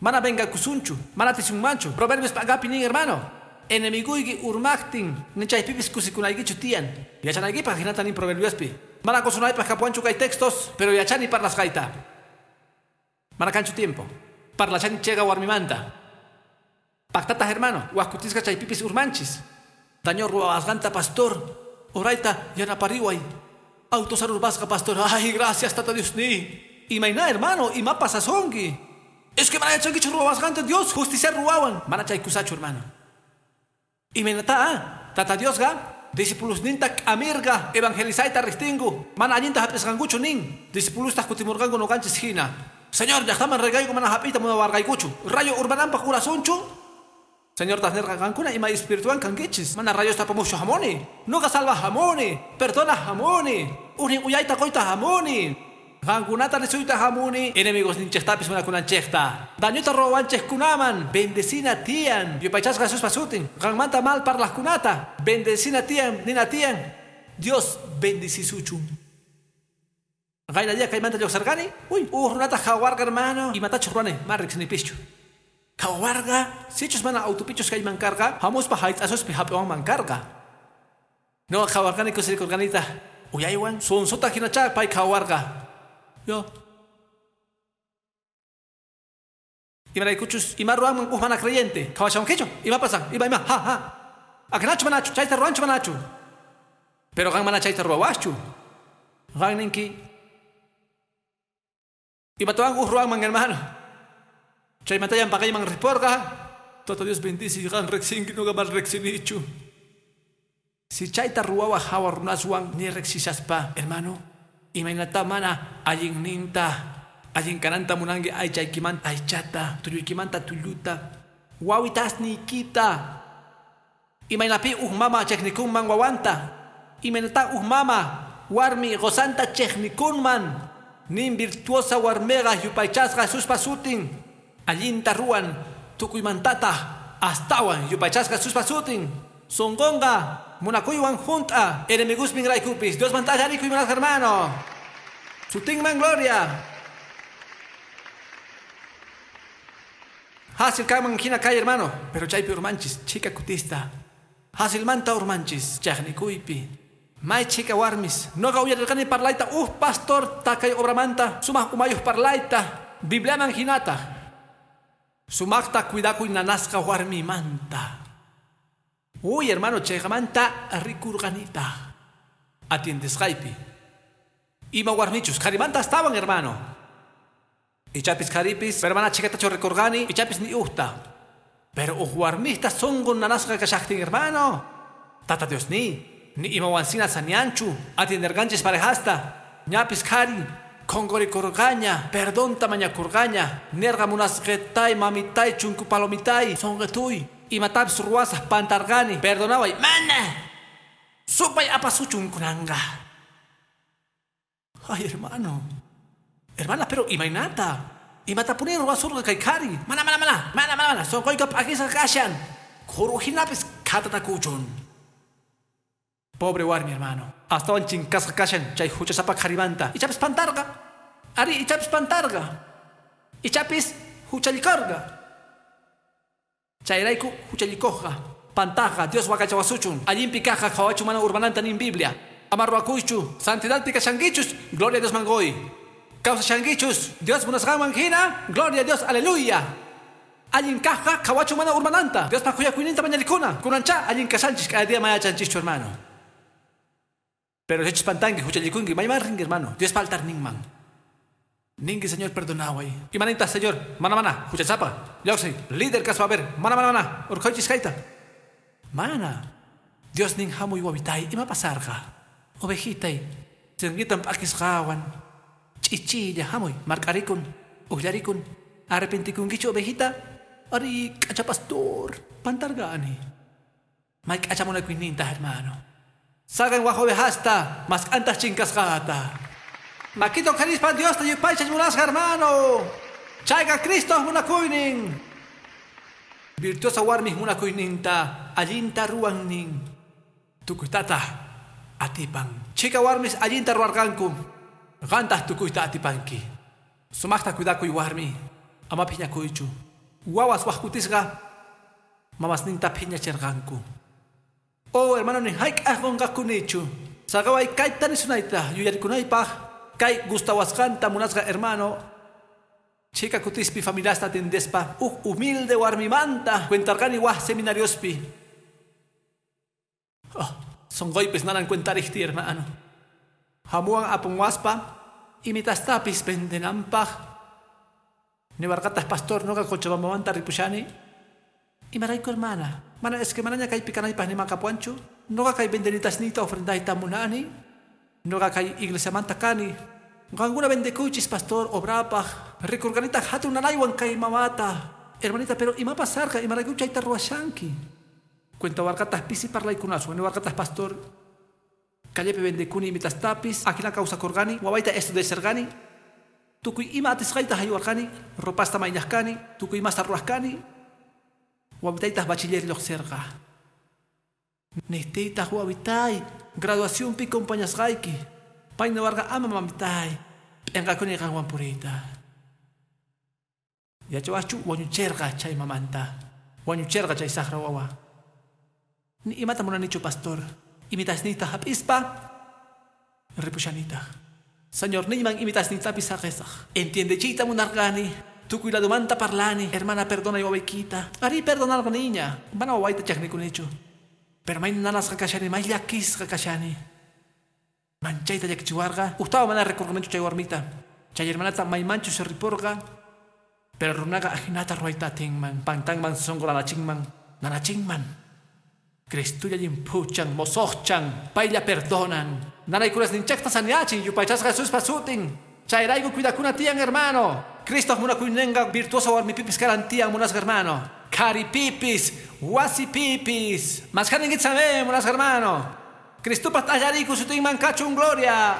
Mana vengakusunchu. Mana tisunmanchu. Proverbios p'anqapi nin, hermano. Enemiguyki urmaqtin, ni chaypipis kusikunaykichu tiyan. Yachanaykipaq hinata nin Proverbiospi. Mana kusunaypaq kapuwanchu kay textos, pero yachani parlasqayta. Mana kanchu tiempo. Parlachani chega warmimanta. Paqtataq, hermano, waqkutisqa chaypipis urmanchis. Daño ruwawasqanta, pastor. Orayta yanapariway. Autosarurpasqa, pastor. Ay, gracias, tata Dios ni. Imayna, hermano, ima pasasonki. Es que mana yachankichu ruwawasqanta Dios, justicia ruwawan. Mana chaykusachu, hermano. Imaynata, tata Diosqa, discipulosninta k'amirqa, evangelizayta riqtinku. Mana allinta hap'isqankuchu nin. Discipulostaq kutimurqanku noqanchis hina. Señor, llaqtaman rirqayku mana hap'iyta munawarqaykuchu. Rayo urmananpaq urasunchu. Señor taq nirqa qankuna ima espiritual kankichis. Mana rayosta apamuqchu hamuni. Nuqa salvaj hamuni. Perdonaj hamuni. Ujnin uyayta quyta hamuni. Qankunata risuyta hamuni. Enemigos ninchiqtapis munakunanchikta. Dañuta ruwawanchikkunaman. Bendecina tiyan. Yupaychasqa Jesuspa sutin. Qanmanta mal parlaqkunata. Bendecina tiyan, nina tiyan. Dios bendecisuchun. Qayna día kaymanta lluqsarqani. Uy, uj runata qhawarqa, hermano. Imatachu ruwani, ma riqsinipischu. Qhawarqa, sichus mana autopichus kayman karqa, hamuspa hayt'asuspi hap'iwanman karqa. Noqa qhawarqani kusirikurqanita. Uyaywan sunsuta hinachá pay qhawarqa. Yo. Imaraykuchus ima ruwanman uj mana creyente. Qhawashawankichu? Ima pasan? Ima ima, ha ha. Aknachu manachu, chayta ruwanchu manachu. Pero qan mana chayta ruwawaqchu. Qan ninki. Imatawan uj ruwanman, hermano. Chaymantayan paqayman riporqa. Tata Dios bendice qan riqsinki, noqa mana riqsinichu. Si chayta ruwawaq hawa runaswan ni riqsishaspa, hermano, imaynata mana allinninta Allin kananta munanki aychaykimanta aychata, tulluykimanta tulluta, wawitasniykita. Imaynapi uj mama chiqnikunman wawanta, imaynata uj mama warmi qusanta chiqnikunman. Nin virtuosa warmiqa yupaychasqa Jesuspa sutin, allinta ruwan tukuymantata astawan yupaychasqa Jesuspa sutin. Sunqunqa munakuywan junt'a enemigosninraykupis Diosmanta allarikuy munasqa hermano. Sutinman gloria. Hasil kanman hina kay hermano, pero chaypi urmanchis chika kutista. Hasilmanta urmanchis chaqnikuypi. May chika warmis noqa uyarirqani parlayta uj pastor takay obramanta sumaq umayuq parlayta Bibliaman hinata. Sumaqta cuidakuy nanasqa warmimanta. Uy hermano, chayqamanta rikurqanita. Atiendesqaypi. Ima warmichus qharimanta astawan hermano. Ichapis qharipis, pero mana chikatachu rikurqani, ichapis ni ujta. Pero uj warmista sunqun nanasqa kashaqtin hermano. Tata Dios ni imawansina sanianchu, atienderqanchis parejasta. Ñapis qhari, qhunqurikurqaña, perdonta mañakurqaña, nerqa munasqetay, mamitay, chunku palomitay, sunqituy. Imatapis ruwasaq pantarqani, perdonaway, mana. Supay apasuchun kunanqa. Ay hermano. Hermana, pero imaynata. Imatapuni ruwasurqa kay qhari. Mana, mana, mana, mana, mana, sunquyqa p'akisqa kashan. Qhuru hinapis khatatakuchun. Pobre warmi hermano. Astawan chinkasqa kashan chay huchasapa qharimanta. Ichapis pantarqa. Ari, ichapis pantarqa. Ichapis huchallikorqa. Chayrayku huchallikuqqa. Pantaqa Dios waqaychawasuchun. Allinpi kaqqa qhawachu mana urmananta nin Biblia. Ama ruwakuychu. Santidadpi kashankichus. Gloria a Dios mangoy. Kawsashankichus. Dios munasqanman hina. Gloria a Dios, aleluya. Allin kaqqa qhawachu mana urmananta. Diospa khuyakuyninta mañarikuna. Kunancha allin kashanchis kay día mayachanchischu hermano. Pero sichus pantanki huchallikunki mayman rinki hermano. Diospa altarninman. Ninki Señor perdonaway. Imaninta Señor, mana mana, huchasapa. Lluqsiy, líder kaspa a ver, mana mana mana, urqhuychis kayta. Mana. Dios nin hamuy wawitay, ima pasarqa. Ovejitay, sinqitan p'akisqawan. Ch'ichilla hamuy, mark'arikun, uqllarikun. Arrepentikunkichu ovejita? Ari, k'acha pastor, pantarqani. May k'acha munakuyninta hermano. Saqen waj ovejasta, mask'antaq chinkasqata. Makita uqharispa Diosta yupaychas munasqa hermano. Chayqa Cristo munakuynin. Virtuosa warmij munakuyninta allinta ruwannin. Tukuytata atipan. Chika warmis allinta ruwarqanku. Qantaq tukuyta atipanki. Sumaqta cuidakuy warmi. Ama phiñakuychu. Wawas wajkutisqa mamasninta phiñachirqanku. Oh hermano, ni hayk'aq qunqakunichu. Saqaway kayta nisunayta yuyarikunaypaq. Kay gustawasqanta munasqa hermano. Chika kutispi familiasta atendespa uj humilde warmimanta cuentarqani waj seminariospi. Oh, sunquypis nanan cuentarikti hermano. Hamuwan apunwaspa imitastapis vendenanpaq. Niwarqataq pastor noqa Cochabambamanta ripushani. Imarayku hermana. Mana es que manaña kaypi kanaypaq nimakapuanchu. Noqa kay vendenitasniyta ofrendayta munani. Noqa kay iglesiamanta kani. Qankuna vendekuychis pastor obrapaq. Rikurqanitaq hatun nanaywan kay mamata. Hermanita, pero ima pasarqa, imarayku chayta ruwashanki. Cuentawarqataq pisi parlaykunaswan, niwarqataq pastor. Callepi vendekuni imitastapis, ajina kawsakurqani, wawayta estudiasharqani. Tukuy ima atisqayta haywarqani, ropasta mayñaqkani, tukuy imasta ruwaqkani. Wawitaytaq bachiller lluqsirqa. Niqtiytaq wawitay, graduacionpi compañasqayki. Pay niwarqa ama mamitay, p'inqakuni qanwan puriyta. Yachawaqchu wañuchirqa chay mamanta. Wañuchirqa chay saqra wawa. Ni imata munanichu pastor. Imitasniyta hap'ispa ripushanitaq. Señor niyman imitasniytapis saqisaq. Entiendechiyta munarqani. Tukuy ladumanta parlani. Hermana, perdonay wawaykita. Ari perdonarqa niña. Mana wawayta chaqnikunichu. Pero may nanasqa kashani, may llakisqa kashani. Manchayta llakichiwarqa. Ujtawa mana rikurqanichu chay warmita. Chay hermanata maymanchu ripurqa. Pero runaqa ajinata ruwayta atinman. Pantanman sunqu nanachinman. Nanachinman. Cristulla llimpuchan, mosoqchan, paylla perdonan. Nanaykunasninchaqta saniachin, yupaychasqa Jesuspa sutin. Chayrayku cuidakuna tiyan, hermano. Cristo munakuynenqa virtuosa warmipipis karan tiyan, munasqa hermano. Karipipis, wasipipis. Mashkaninkitsame, munasqa hermano. Cristopaq t'allariku sutinman kachun gloria.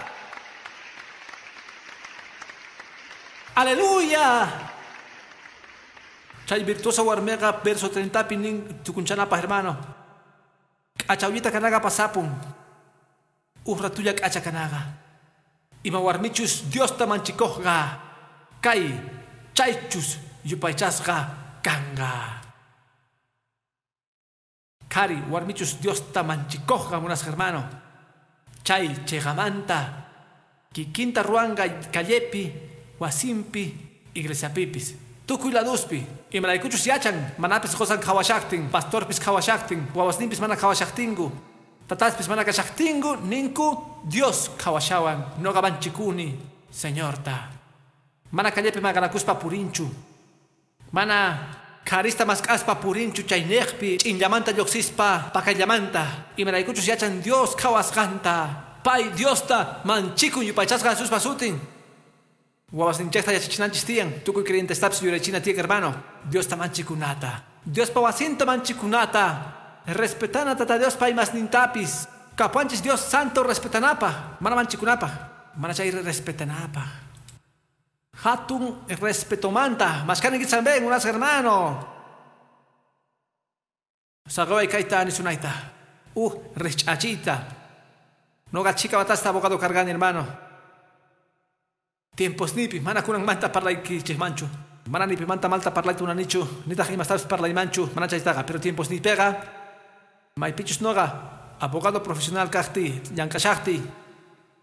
Aleluya. Chay virtuosa warmeqa verso 30 nin tukunchanapaq, hermano. K'achawllita kanaqa pasapun. Uj ratulla k'acha kanaqa. Ima warmichus Diosta manchikuqqa. Kay chaychus yupaychasqa kanqa. Kari warmichus Diosta manchikuqqa, munasqa hermano. Chay chiqamanta kikinta ruwanqa callepi, wasimpi, iglesiapipis. Tukuy laduspi. Imaraykuchus yachan, manapis qosan qhawashaqtin, pastorpis qhawashaqtin, wawasninpis mana qhawashaqtinku, tataspis mana kashaqtinku, ninku Dios qhawashawan, noqa manchikuni, Señorta. Mana callepi maqanakuspa purinchu. Mana karista mask'aspa purinchu chayniqpi, ch'inllamanta lluqsispa pakallamanta. Imaraykuchus yachan Dios qhawasqanta. Pay Diosta manchikun yupaychasqa Jesuspa sutin. Wawasninchikta yachachinanchis tiyan, tukuy creyentestapis yuraychina tiyan, hermano. Diosta manchikunata. Diospa wasinta manchikunata. Respetana tata Diospa imasnintapis. Kapuanchis Dios santo respetanapaj, mana manchikunapaj, mana chay respetanapaj. Hatun respetomanta, mashkaninkitsamben, unas hermano. Saqaway kayta nisunayta. Rich'achita. Noqa chika watasta abogado kargani, hermano. Tiempos nipi, mana kunanmanta parlaykichikmanchu. Mana nipimanta malta parlayta unanichu, nitaq imastapis parlaymanchu, mana chaytaqa, pero tiempos nipeqa maypichus noqa abogado profesional kaqti, llank'ashaqti.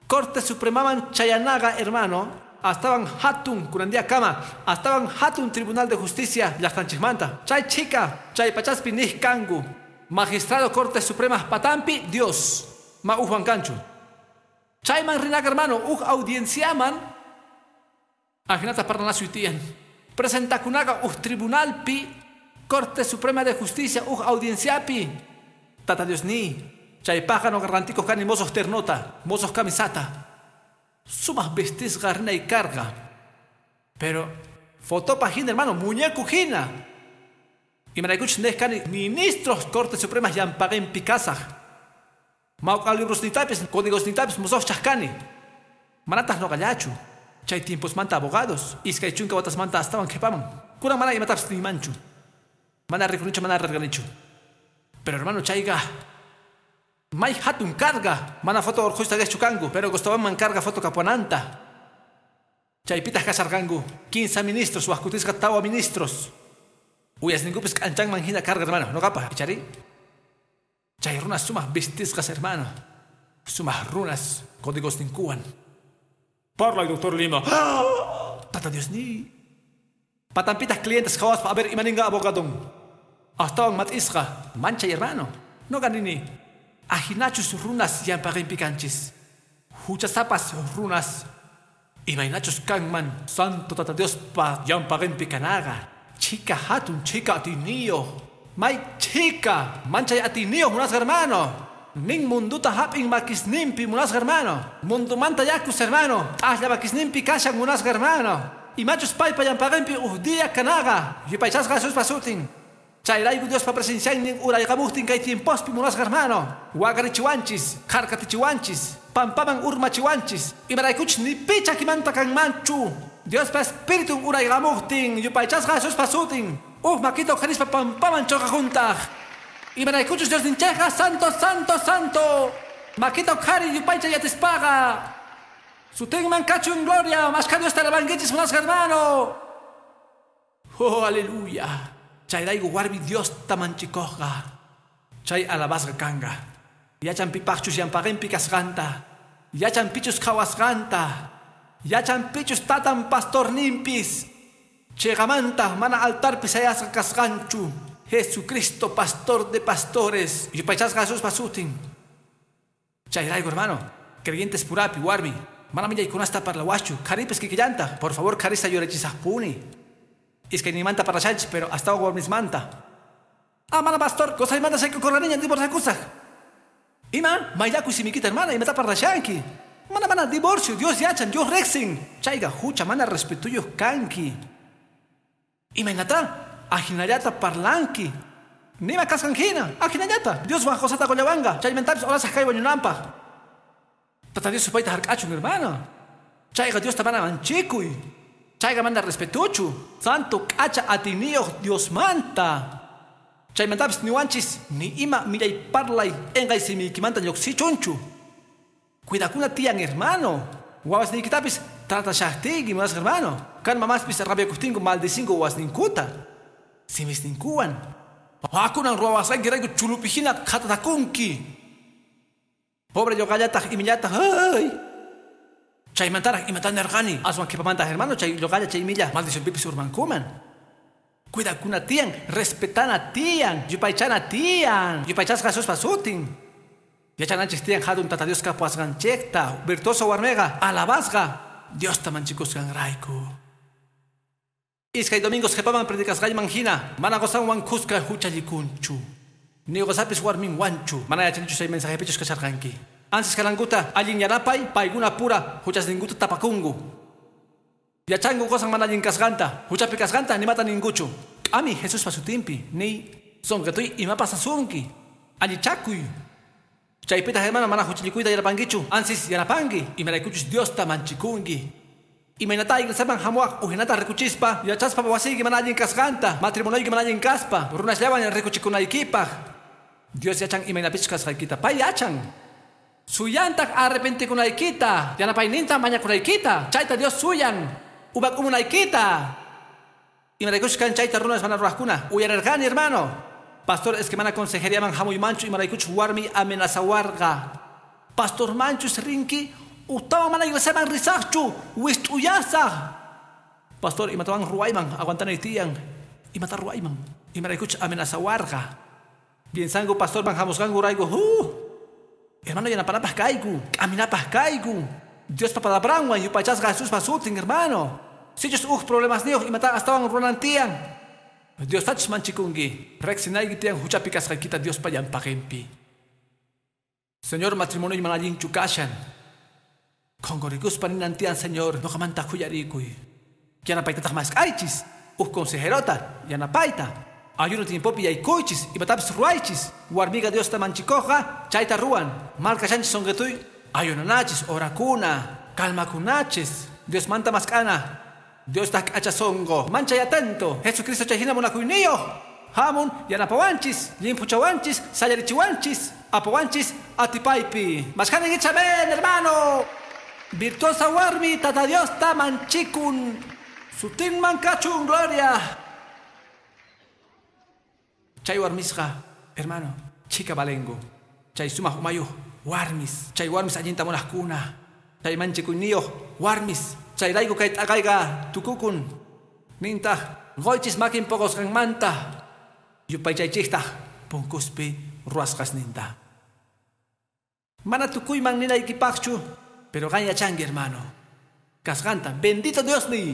Corte Supremaman chayanaqa, hermano, astawan hatun kunandia kama, astawan hatun Tribunal de Justicia llaqtanchikmanta. Chay chika, chay pachaspi niq kanku. Magistrado Corte Suprema patampi Dios, ma ujwan kanchu. Chayman rinaqa, hermano, uj audienciaman ajinata parlanasuy tiyan. Presentakunaqa uj tribunalpi, Corte Suprema de Justicia uj audienciapi. Tata Dios ni, chaypaqqa noqa rantikuq kani mosoq ternota, mosoq camisata. Sumaq vestisqa rinay karqa. Pero fotopa hina, hermano, muñeco hina. Imaraykuchus nej kani ministros Corte Suprema llampaqinpi kasaq. Mawk'a librosnitapis, códigosnitapis mosoqchaq kani. Manataq noqallachu. Chay tiemposmanta abogados, iskay chunka watasmanta astawan qhipaman. Kunan mana imatapis niymanchu. Mana rikunichu, mana rarganichu. Pero hermano, chayqa may hatun carga. Mana foto orqhuyta qhichu kanku, pero gustawanman carga foto kapuananta. Chaypitaq kasharqanku 15 ministros, wajkutisqa tawa ministros. Uyasninkupis k'anchanman hina carga, hermano. Noqapaq, ichari. Chay runas sumaq vistisqas, hermano. Sumaq runas códigosninkuwan. Parlay, doctor Lima. Tata Dios ni. Patampitas clientes qhawaspa, a ver imaninqa abogadon. Astawan mat'isqa, manchay, hermano. Noqa nini. Ajinachus runas llampaqinpi kanchis. Huchasapas runas. Imaynachus kanman santo tata Diospa llampaqinpi kanaqa. Chika hatun, chika atiniyo. May chika, manchay atiniyo, munasqa hermano. Nin munduta hap'in makisninpi, munasqa hermano. Mundumanta yakus, hermano. T'aslla makisninpi kashan, munasqa hermano. Imachus paypa llampaqinpi uj día kanaqa. Yupaychasqa Jesuspa sutin. Chayrayku Diospa presenciaynin urayqamuqtin kay tiempospi, munasqa hermano. Waqarichiwanchis, kharkatichiwanchis, pampaman urmachiwanchis. Imaraykuchus ni pi chakimanta kanmanchu. Diospa espiritun urayqamuqtin, yupaychasqa Jesuspa sutin. Uj makita uqharispa pampaman chuqajuntaq. Imaraykuchus Diosninchikqa santo, santo, santo. Makita uqhari yupaychay atispaqa. Sutinman kachun gloria, mashkha Diosta alabankichis, munasqa hermano. Oh, aleluya. Chayrayku warmi Diosta manchikuqqa. Chay alabasqa kanqa. Yachan pipaqchus llampaqinpi kasqanta. Yachan pichus qhawasqanta. Yachan pichus tatan pastorninpis. Chiqamanta mana altarpi sayasqa kasqanchu. Jesucristo, pastor de pastores. Yupaychasqa Jesuspa sutin. Chayrayku, hermano, creyentes purapi, warmi. Mana millaykunasta parlawaschu. Qharipis kikillanta. Por favor, qharista yurachisaqpuni. Iskaynimanta parlashanchis, pero hasta warmismanta. Ah, mana pastor, qosaymanta saykukurqaniña, divorciakusaq. Ima, mayllakuy simikita, hermana, imata parlashanki. Mana mana divorcio, Dios yachan, Dios rexin. Chayga hucha mana respetuyo kanki. Imaynata, ajinallata parlanki. Nima kasqanjina, ajinallata. Dios wan qosata qollawanga. Chaymentapis orasaq kay wañunanpaq. Tata Dios supayta hark'achun, hermano. Chayga Dios mana manchikuy. Chayga mana respetuchu. Santo k'acha atiniyuq Dios manta. Chaymantapis niwanchis ni ima millay parlay engay simiykimanta lluqsichunchu. Cuidakuna tiyan, hermano. Wawasniykitapis tratashaqtiyki, más hermano. Kan mamaspis rabiakuqtinku maldicinku wawasninkuta. Simisninkuwan. Wakunan ruwawasqaykirayku chulupihina qhatatakunki. Pobre lluqallataq imillataq, ay. Chaymantaraq imatan nirqani. Aswan qhipamantaq, hermano, chay lluqalla chay imilla maldicionpipis urmankuman. Cuidakuna tiyan, respetana tiyan, yupaychana tiyan, yupaychasqa Jesuspa sutin. Yachananchis tiyan hatun Tata Dios kapuwasqanchikta, virtuoso warmiqa, alabasqa, Diosta manchikusqanrayku. Iskay domingos qhipaman predicasqayman hina, mana qosanwan kuska huchallikunchu. Ni qosapis warminwanchu, mana yachanichu chay mensajepichus kasharqanki. Ansis kalankuta allin yanapay, paykuna pura huchasninkuta tapakunku. Yachanku qosan mana allin kasqanta, huchapi kasqanta nimata ninkuchu. K'ami Jesuspa sutinpi, ni sonqituy imapas asunki, allichakuy. Chaypita hermano mana huchallikuyta yanapankichu, ansis yanapanki, imaraykuchus Diosta manchikunki. Imaynata iglesiaman hamuwaq ujinata rikuchispa, yachaspa wasiyki mana allin kasqanta, matrimonioyki mana allin kaspa, runasllawan rikuchikunaykipaq. Dios yachan imaynapichus kasqaykita, pay yachan. Suyantaq arrepentikunaykita, yanapayninta mañakunaykita, chayta Dios suyan, umak'umunaykita. Imaraykuchus kan chayta runas mana ruwaqkuna, uyarirqani, hermano. Pastor, es que mana consejeriaman hamuymanchu imaraykuchus warmi amenazawarqa. Pastor manchus rinki, ujtawan mana iglesiaman risaqchu, wist'uyasaq. Pastor, imatawan ruwayman, aguantanay tiyan. Imata ruwayman, imaraykuchus amenazawarqa. Piensanku pastorman hamusqankurayku, hermano, yanapanapaq kayku, k'aminapaq kayku. Diospa palabranwan yupaychasqa Jesuspa sutin, hermano. Sichus uj problemasniyuq imata astawan ruwanan tiyan. Diostachus manchikunki, riqsinayki tiyan huchapi kasqaykita Diospa llampaqinpi. Señor, matrimonio mana allinchu kashan. Qhunqurikuspa ninan tiyan, Señor, nuqamanta khuyarikuy. Yanapaytataq mask'aychis, uj consejerota, yanapayta. Ayuno tiempopi yaykuychis, imatapis ruwaychis. Warmiqa Diosta manchikuqqa chayta ruwan. Markashanchis sonqituy, ayunanachis, orakuna, calmakunachis. Diosmanta mask'ana. Diostaq k'acha sonqo, manchay atento. Jesucristo chay hina munakuyniyuq. Hamun yanapawanchis, llimphuchawanchis, sayarichiwanchis, apawanchis atipaypi. Mask'aninkichis, amén, hermano. Virtuosa warmi Tata Diosta manchikun. Sutinman kachun gloria. Chay warmisqa, hermano, chika valengu. Chay sumaq umayuq warmis. Chay warmis allinta munaqkuna. Chay manchikuyniyuq warmis. Chayrayku kay t'aqayqa tukukun. Nintaq qoychis makin poqosqanmanta. Yupaychaychiktaq punkuspi ruwasqasninta. Mana tukuyman ninaykipaqchu, pero qan yachanki, hermano. Kasqanta, bendito Dios ni.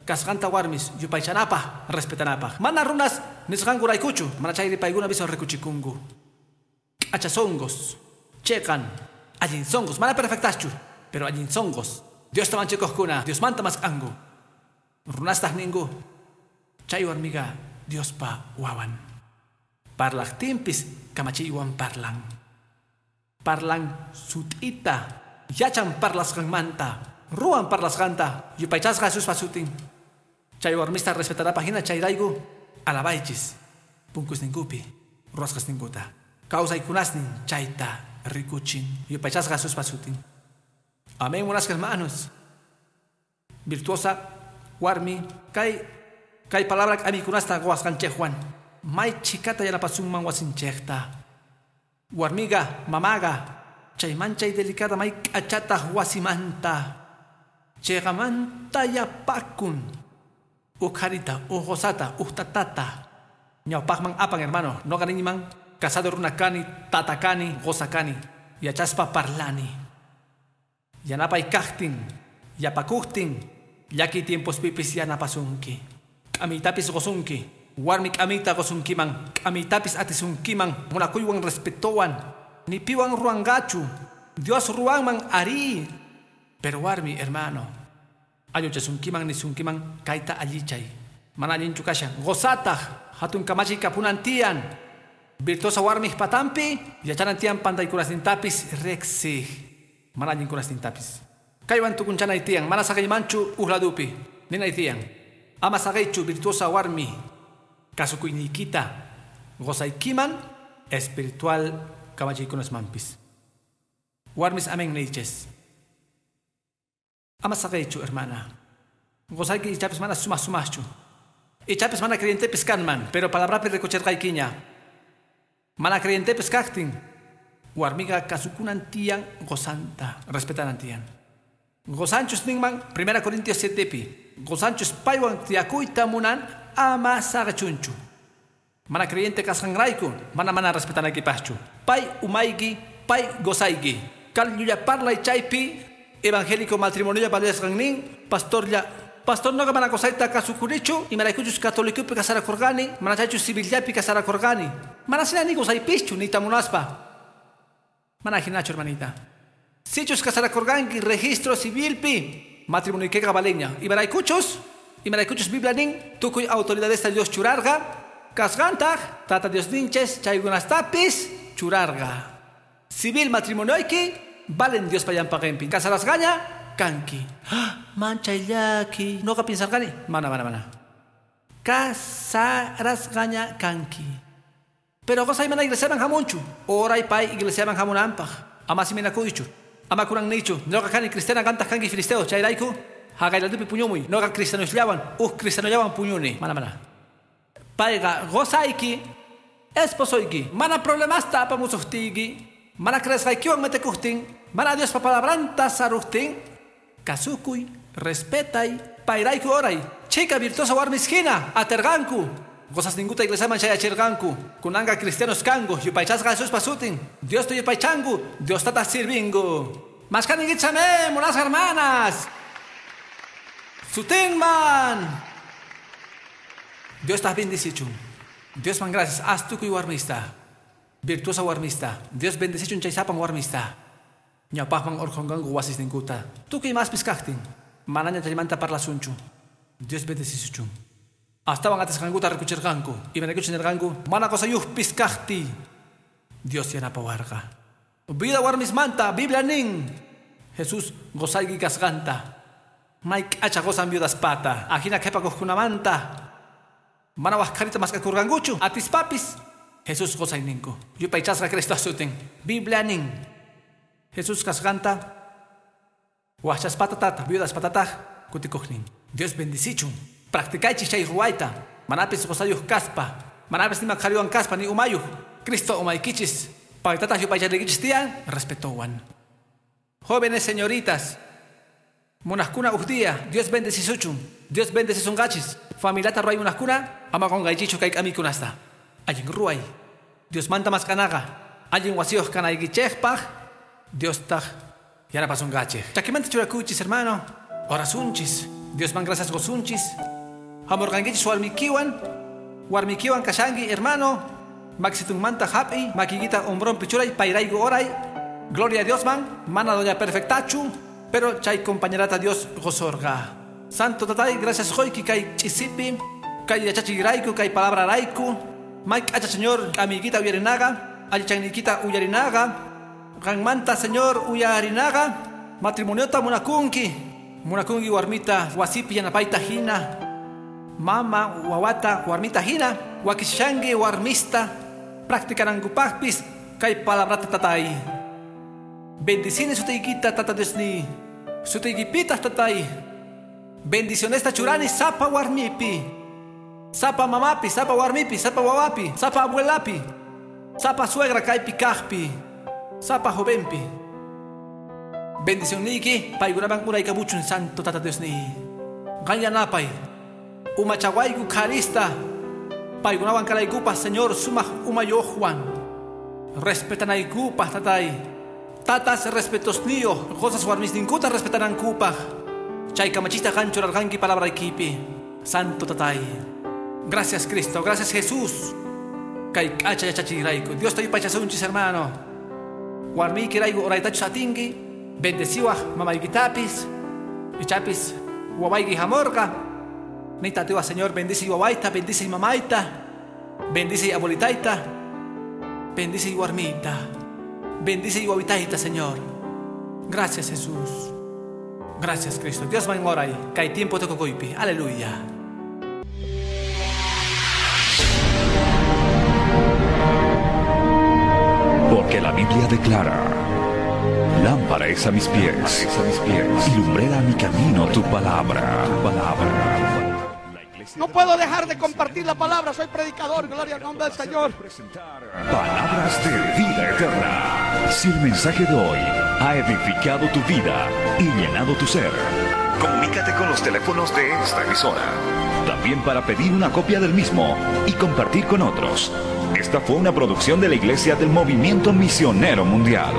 Kasqanta warmis yupaychanapaq, respetanapaq. Mana runas nisqankuraykuchu, mana chayri paykuna viso rikuchikunku. K'achasonqos, cheqan, allin sonqos, mana perfectaschu, pero allin sonqos. Diosta manchikuqkuna, Diosmanta mask'anku. Runastaq ninku, chay warmiqa Diospa wawan. Parlaqtinpis kamachiywan parlan. Parlan sut'ita, yachan parlasqanmanta, ruwan parlasqanta, yupaychasqa Jesuspa sutin. Chay warmista respetanapaq hina chayrayku alabaychis punkusninkupi, ruwasqasninkuta. Kawsaykunasnin chayta rikuchin, yupaychasqa Jesuspa sutin. Amén, buenas hermanos. Virtuosa warmi, kay palabra k'amikunasta qowasqanchikwan. May chikata yanapasunman wasinchikta. Warmiga, mamaga, chay manchay delicada may k'achataq wasimanta. Chayqamanta yapakun. Uj qharita, uj qosata, uj tatata. Ñawpaqman apan, hermano. Noqa niyman, casado runa kani, tata kani, qosa kani. Yachaspa parlani. Yanapay kaqtin, yapakuqtin, llaki tiempospipis yanapasunki. K'amiytapis qusunki, warmi k'amiyta qusunkiman, k'amiytapis atisunkiman, munakuywan respetowan, ni piwan ruwanqachu. Dios ruwanman ari. Pero warmi, hermano, ayochasunkiman nisunkiman kayta allichay. Mana allinchu kashan. Gozataq hatun kamachiy kapunan tiyan. Virtuosa warmij patampi, yachanan tiyan pantaykunasnintapis riqsij. Mana allinkunasnintapis. Kaywan tukunchanay tiyan, mana saqiymanchu uhladupi. Ninay tiyan. Ama saqiychu virtuosa warmi. Kasukuyniykita gozaykiman espiritual kamachiykunasmanpis. Warmis amen niychis. Ama saqiychu, hermana. Gozayki ichapis mana sumaq sumaqchu. Ichapis mana creyentepis kanman, pero palabrapi rikuchirqaykiña. Mana creyentepis kaqtin. Warmiqa kasukunan tiyan gozanta, respetanan tiyan. Gozanchus ninman, 1 Corintios 7pi. Gozanchus paywan tiyakuyta munan ama saqachunchu. Mana creyente kasqanrayku, mana respetanaykipaqchu. Pay umayki, pay gozayki. Kal llulla parlay chaypi, evangélico matrimonio valesqan nin, pastorlla pastor noqa mana qosayta kasukunichu, imaraykuchus catolicopi casarakurqani, mana chaychus civillapi casarakurqani. Mana sina ni gozaypischu, niyta munaspa. Mana hinachu, hermanita. Sichus casarakurqanki registro civilpi, matrimonioykiqa valeña. Imaraykuchus Biblia nin, tukuy autoridadesta Dios churarqa, kasqantaq Tata Dios ninches chaykunastapis churarqa. Civil matrimonioyki valen Dios payanpaqinpi. Casarasqaña kanki. Manchay llaki. Noqa pinsarqani. Mana. Casarasqaña kanki. Pero qosay mana iglesiaman hamunchu. Oray pay iglesiaman hamunanpaq. Ama siminakuychu. Ama kunan niychu. Noqa kani cristiana qantaq kanki filisteo. Chayrayku haqayladupi puñumuy. Noqa cristianosllawan uj cristianollawan puñuni. Mana. Payqa gozayki, esposoyki. Mana problemasta apamusuqtiyki. Mana creesqaykiwan metekuqtin. Mana Diospa palabranta saruqtin. Kasukuy, respetay, payrayku oray. Chika virtuosa warmis hina, aterqanku. Gozasninkuta iglesiaman chayachirqanku. Kunanqa cristianos kanku, yupaychasqa Jesuspa sutin. Diosta yupaychanku, Diostata sirvinku. Mashkaninkichame, munasqa hermanas. Sutinman. Dios ta bendicichun. Dios man gracias. Haz tukuy warmista. Virtuosa warmista. Dios bendicichun chaysapan warmista. Ñawpaqman urqhunqanku wasisninkuta. Tukuy maspis kaqtin. Manaña chaymanta parlasunchu. Dios bendecisuchun. Astawan atisqankuta rikuchirqanku. Imaraykuchus nirqanku, mana qosayuqpis kaqti. Dios yanapawarqa. Vida warmismanta, Biblia nin. Jesús gozayki kasqanta. May k'acha gozan viudaspata. Ajina qhipakuqkunamanta. Mana waqharita mask'akurqankuchu. Atispapis Jesús gozayninku. Yupaychasqa Cristo sutin. Biblia nin. Jesús kasqanta waqchaspata tata, viudaspatataq kutikuqnin. Dios bendicichun. Practicaychis chay ruwayta. Manapis qosayuq kaspa. Manapis nima qhariwan kaspa ni umayuq. Cristo umaykichis. Paytataq yupaychariykichis tiyan respetowan. Jóvenes señoritas, munaqkuna uj día, Dios bendecisuchun. Dios bendecisunqachis. Familiata ruway munaqkuna, ama qunqaychichu kay k'amikunasta. Allin ruway. Dios manta mask'anaqa. Allin wasiyuq kanaykichikpaq, Diostaq yanapasunqachik. Chakimanta churakuychis, hermano. Orasunchis. Diosman gracias gosunchis. Hamurqankichis warmikiwan. Warmikiwan kashanki, hermano. Maxitunmanta hap'i, makiykita hombronpi churay, payrayku oray. Gloria a Dios man, mana doña perfectachu, pero chay compañerata Dios gozorga. Santo tatay, gracias qoyki kay ch'isipi, kay yachachiyrayku, kay palabrarayku. May k'acha Señor, amiguita uyarinaqa, allichayniykita uyarinaqa. Qanmanta Señor uyarinaqa, matrimoniota munakunki. Munakunki warmita wasipi yanapayta hina. Mama wawata warmita hina, wakishanki warmista, practicanankupaqpis kay palabrata tatay. Bendicine sutiykita tata Diosni. Sutiykipitaq tatay. Bendicionesta churani sapa warmipi. Sapa mamapi, sapa warmipi, sapa wawapi, sapa abuelapi, sapa suegra kaypi kaqpi, sapa jovenpi. Bendicionniyki paykunaman uraykamuchun santo tata Diosni. Qan yanapay. Umachawayku qharista. Paykunawan kanaykupaq Señor sumaq umayuqwan. Respetanaykupaq tatay. Tatas respetosniyuq, qosas warmisninkuta respetanankupaq. Chay kamachista qan churarqanki palabraykipi. Santo tatay. Gracias Cristo, gracias Jesús. Kay k'acha yachachiyrayku. Diosta yupaychasunchis, hermano. Warmiykirayku oraytachus atinki. Bendeciwaj mamaykitapis, ichapis wawayki hamurqa. Niyta atiwaj, Señor, bendice wawayta, bendice mamayta, bendice abuelitayta, bendice warmita, bendice wawitayta, Señor. Gracias, Jesús. Gracias, Cristo. Dios man oray, kay tiempo tukukuypi. Aleluya. Porque la Biblia declara: lámpara es a mis pies, y lumbrera a mi camino tu palabra. Tu palabra. No puedo dejar de compartir la palabra, soy predicador, gloria al nombre del Señor. Palabras de vida eterna. Si el mensaje de hoy ha edificado tu vida y llenado tu ser, comunícate con los teléfonos de esta emisora. También para pedir una copia del mismo y compartir con otros. Esta fue una producción de la Iglesia del Movimiento Misionero Mundial.